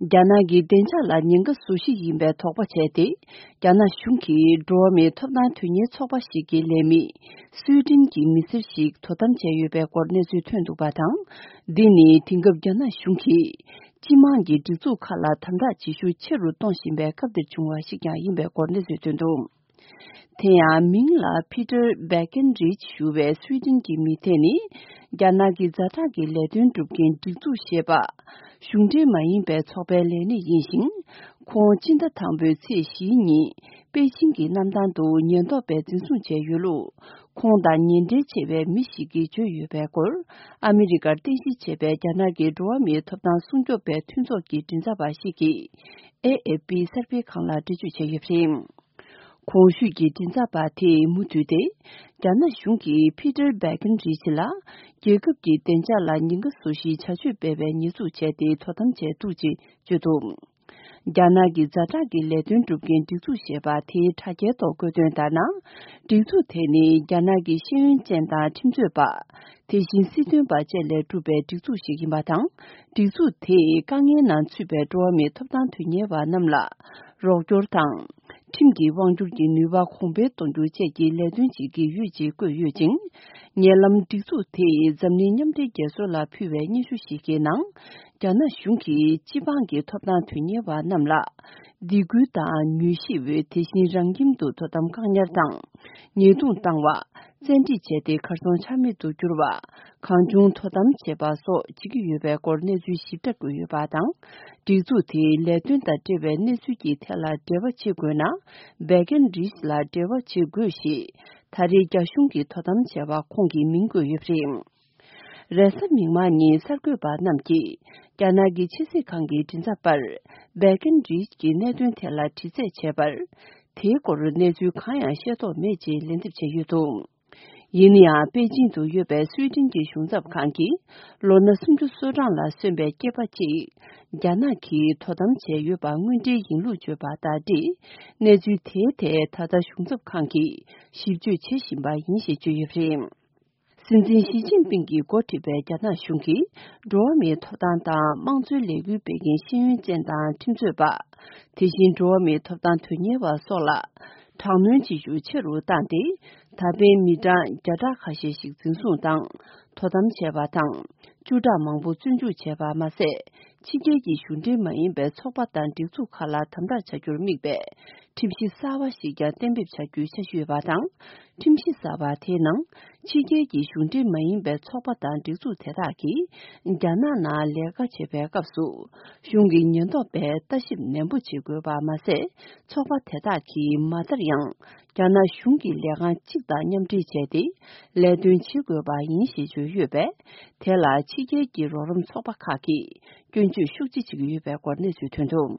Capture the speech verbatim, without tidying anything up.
རྒྱ་ནག་གི་བདེ་འཇགས་ལ་ཉེན་ཁ་བཟོ་གཞི་ཡིན་པའི་དོགས་པ་བྱས་ཏེ། རྒྱ་ནག་གཞུང་གིས་འགྲོ་བ་མིའི་ཐོབ་ཐང་དོན་གཉེར་ཚོགས་པ་ཞིག་གི་ལས་མི་སུའེ་ཏེན་གྱི་མི་སེར་ཞིག་དོ་དམ་བྱས་ཡོད་པའི་སྐོར་གནས་ཚུལ་ཐོན་འདུག་པ་དང་། འདི་ནི་དེང་སྐབས་རྒྱ་ནག་གཞུང་གིས་སྤྱི་དམངས་ཀྱི་སྒྲིག་འཛུགས་ཁག་ལ་དམ་དྲག་བྱེད་ཤུགས་ཆེ་རུ་གཏོང་བཞིན་པའི་སྐབས་འདིར་བྱུང་བ་ཞིག་ཀྱང་ཡིན་པའི་སྐོར་གནས་ཚུལ་ཐོན་འདུག་དེ་ཡང་མིང་ལ་ཕི་ཏར་བྷེ་ཀེན་རིཆ་ཞུ་བའི་སུའེ་ཏེན་གྱི་མི་དེ་ནི། རྒྱ་ནག་གི་ཛ་དྲག་གི་ལས་དོན་སྒྲུབ་མཁན་སྒྲིག་འཛུགས་ཞེས་པ། གཞུང་འབྲེལ་མ་ཡིན་པའི་ཚོགས་པའི་ལས་སྣེ་ཡིན་ཞིང་། ཁོང་སྤྱི་ཟླ་དང་པོའི་ཚེས་བཞིའི་ཉིན་པེ་ཅིང་གི་གནམ་ཐང་དུ་ཉེན་རྟོག་པས་འཛིན་བཟུང་བྱས་ཡོད་ལུགས། ཁོང་དང་ཉེ་འབྲེལ་ཆེ་བའི་མི་ཞིག་གིས་བརྗོད་ཡོད་པའི་སྐོར། ཨ་མི་རི་ཀར་རྟེན་གཞི་བྱས་པའི་རྒྱ་ནག་གི་འགྲོ་བ་མིའི་ཐོབ་ཐང་སྲུང་སྐྱོབ་པའི་མཐུན་ཚོགས་ཀྱི་མགྲིན་ཚབ་པ་ཞིག་གིས། ཨེ་ཨེ་པི་གསར་སྤེལ་ཁང་ལ་འགྲེལ་བརྗོད་བྱས་ཡོད་པ་རེད། གོང་ཞུས་ཀྱི་མགྲིན་ཚབ་པ་དེས་མུ་མཐུད་དེ། རྒྱ་ནག་གཞུང་གིས་ཕི་ཏར་བྷེ་ཀེན་རིཆ་ལ། རྒྱལ་ཁབ་ཀྱི་བདེ་འཇགས་ལ་ཉེན་ཁ་བཟོ་གཞིའི་བྱ་སྤྱོད་སྤེལ་བའི་ཉེས་འཛུགས་བྱས་ཏེ་དོ་དམ་བྱས་འདུག་ཅེས་བརྗོད་འདུག་རྒྱ་ནག་གི་ཛ་དྲག་གི་ལས་དོན་སྒྲུབ་མཁན་སྒྲིག་འཛུགས་ཞེས་པ་དེའི་དྲ་རྒྱའི་ཐོག་བཀོད་དོན་ལྟར་ན། སྒྲིག་འཛུགས་དེ་ནི་རྒྱ་ནག་གི་ཤེས་ཡོན་ཅན་དང་ཁྲིམས་རྩོད་པ། དེ་བཞིན་སྲིད་དོན་པ་བཅས་ལས་གྲུབ་པའི་སྒྲིག་འཛུགས་ཤིག་ཡིན་པ་དང་། སྒྲིག་འཛུགས་དེས་དཀའ་ངལ་ནང་ཚུད་པའི་འགྲོ་བ་མིའི་ཐོབ་ཐང་དོན་གཉེར་བ་རྣམས་ལ་རོགས་སྐྱོར་དང་། ཁྲིམས་ཀྱི་དབང་སྒྱུར་གྱི་ནུས་པ་གོང་འཕེལ་གཏོང་རྒྱུ་བཅས་ཀྱི་ལས་དོན་བྱེད་ཀྱི་ཡོད་ཅེས་བཀོད་ཡོད་ཅིང་། ཉེ་ལམ་སྒྲིག་འཛུགས་དེས་འཛམ་གླིང་མཉམ་འབྲེལ་རྒྱལ་ཚོགས་ལ་ཕུལ་བའི་སྙན་ཞུ་ཞིག་གི་ནང་། རྒྱ་ནག་གཞུང་གིས་སྤྱི་འབངས་ཀྱི་ཐོབ་ཐང་དོན་གཉེར་བ་རྣམས་ལ། སྡིགས་སྐུལ་དང་མྱུལ་ཞིབ། དེ་བཞིན་རང་ཁྱིམ་དུ་དོ་དམ་བཀག་ཉར་དང་། ཉེས་རྡུང་བཏང་བ། བཙན་ཁྲིད་བྱས་ཏེ་གར་སོང་ཆ་མེད་དུ་གྱུར་བ། གང་བྱུང་དོ་དམ་བྱེད་པ་སོགས་བྱེད་ཀྱི་ཡོད་པའི་སྐོར་གནས་ཚུལ་ཞིབ་ཕྲ་བཀོད་ཡོད་པ་དང་། སྒྲིག་འཛུགས་དེའི་ལས་དོན་དང་འབྲེལ་བའི་གནས་ཚུལ་གྱི་ཐད་ལ་འབྲེལ་བ་བྱེད་དགོས་ན། བྷེ་ཀེན་རིཆ་ལ་འབྲེལ་བ་བྱེད་དགོས་ཞེས། ད་རེས་རྒྱ་གཞུང་གིས་དོ་དམ་བྱས་པ་ཁོང་གི་མིང་བཀོད་ཡོད་པ་རེད། རེས་གཟའ་མིག་དམར་ཉིན་གསར་འགོད་པ་རྣམས་ཀྱིས། རྒྱ་ནག་གི་ཕྱི་སྲིད་ཁང་གི་མགྲིན་ཚབ་པར། བྷེ་ཀེན་རིཆ་གི་གནད་དོན་ཐད་ལ་དྲི་རྩད་བྱས་པར། དེའི་སྐོར་གནས་ཚུལ་གང་ཡང་ཤེས་རྟོགས་མེད་ཅེས་ལན་འདེབས་བྱས་ཡོད་འདུག་ཡིན་ན་ཡང་པེ་ཅིང་དུ་ཡོད་པའི་སུའེ་ཏེན་གྱི་གཞུང་ཚབ་ཁང་གིས། ལོ་ན་སུམ་ཅུ་སོ་གྲངས་ལ་སོན་པའི་སྐྱེས་པ་གཅིག་རྒྱ་ནག་གིས་དོ་དམ་བྱས་ཡོད་པ་དངོས་འབྲེལ་ཡིན་ལུགས་བརྗོད་པ་ལྟར་ཏེ། གནས་ཚུལ་དེའི་ཐད་ད་ལྟ་གཞུང་ཚབ་ཁང་གིས་ཞིབ་དཔྱོད་བྱེད་བཞིན་པ་ཡིན་ཞེས་བརྗོད་ཡོད་པ་རེད། སྲིད་འཛིན་ཞི་ཅིན་ཕིང་གིས་འགོ་ཁྲིད་པའི་རྒྱ་ནག་གཞུང་གིས། འགྲོ་བ་མིའི་ཐོབ་ཐང་དང་དམངས་གཙོའི་ལས་འགུལ་སྤེལ་མཁན་ཤེས་ཡོན་ཅན་དང་ཁྲིམས་རྩོད་པ། དེ་བཞིན་འགྲོ་བ་མིའི་ཐོབ་ཐང་དོན་གཉེར་བ་སོགས་ལ། དྲག་གནོན་བྱེད་ཤུགས་ཆེ་རུ་བཏང་སྟེ། ད་ཕན་མི་གྲངས་བརྒྱ་ཕྲག་ཁ་ཤས་ཤིག་འཛིན་བཟུང་དང་། དོ་དམ་བྱས་པ་དང་། བཅུ་ཕྲག་མང་པོ་བཙོན་འཇུག་བྱས་པ་མ་ཟད། ཕྱི་རྒྱལ་གྱི་གཞུང་འབྲེལ་མ་ཡིན་པའི་ཚོགས་པ་དང་སྒྲིག་འཛུགས་ཁག་ལ་དམ་དྲག་བྱ་རྒྱུར་དམིགས་པའི་ཁྲིམས་གཞི་གསར་བ་ཞིག་ཀྱང་གཏན་འབེབས་བྱ་རྒྱུའི་འཆར་གཞི་ཡོད་པ་དང་། ཁྲིམས་གཞི་གསར་བ་དེའི་ནང་། ཕྱི་རྒྱལ་གྱི་གཞུང་འབྲེལ་མ་ཡིན་པའི་ཚོགས་པ་དང་སྒྲིག་འཛུགས་དེ་དག་གིས་རྒྱ་ནག་ནང་ལས་ཀ་བྱེད་པའི་སྐབས་སུ། གཞུང་གི་ཉེན་རྟོག་པས་ལྟ་ཞིབ་ནན་པོ་བྱེད་དགོས་པ་མ་ཟད། ཚོགས་པ་དེ་དག་གིས་མ་མཐར་ཡང་། རྒྱ་ནག་གཞུང་གི་ལས་ཁང་གཅིག་དང་མཉམ་འབྲེལ་བྱས་ཏེ། ལས་དོན་བྱེད་དགོས་པ་ཡིན་ཞེས་བརྗོད་ཡོད་པས། དེ་ལ་ཕྱི་རྒྱལ་གྱི་རོགས་རམ་ཚོགས་པ་ཁག་གིས་སྐྱོན་བརྗོད་ཤུགས་ཆེ་བྱེད་ཀྱི་ཡོད་པའི་སྐོར་གནས་ཚུལ་ཐོན་འདུག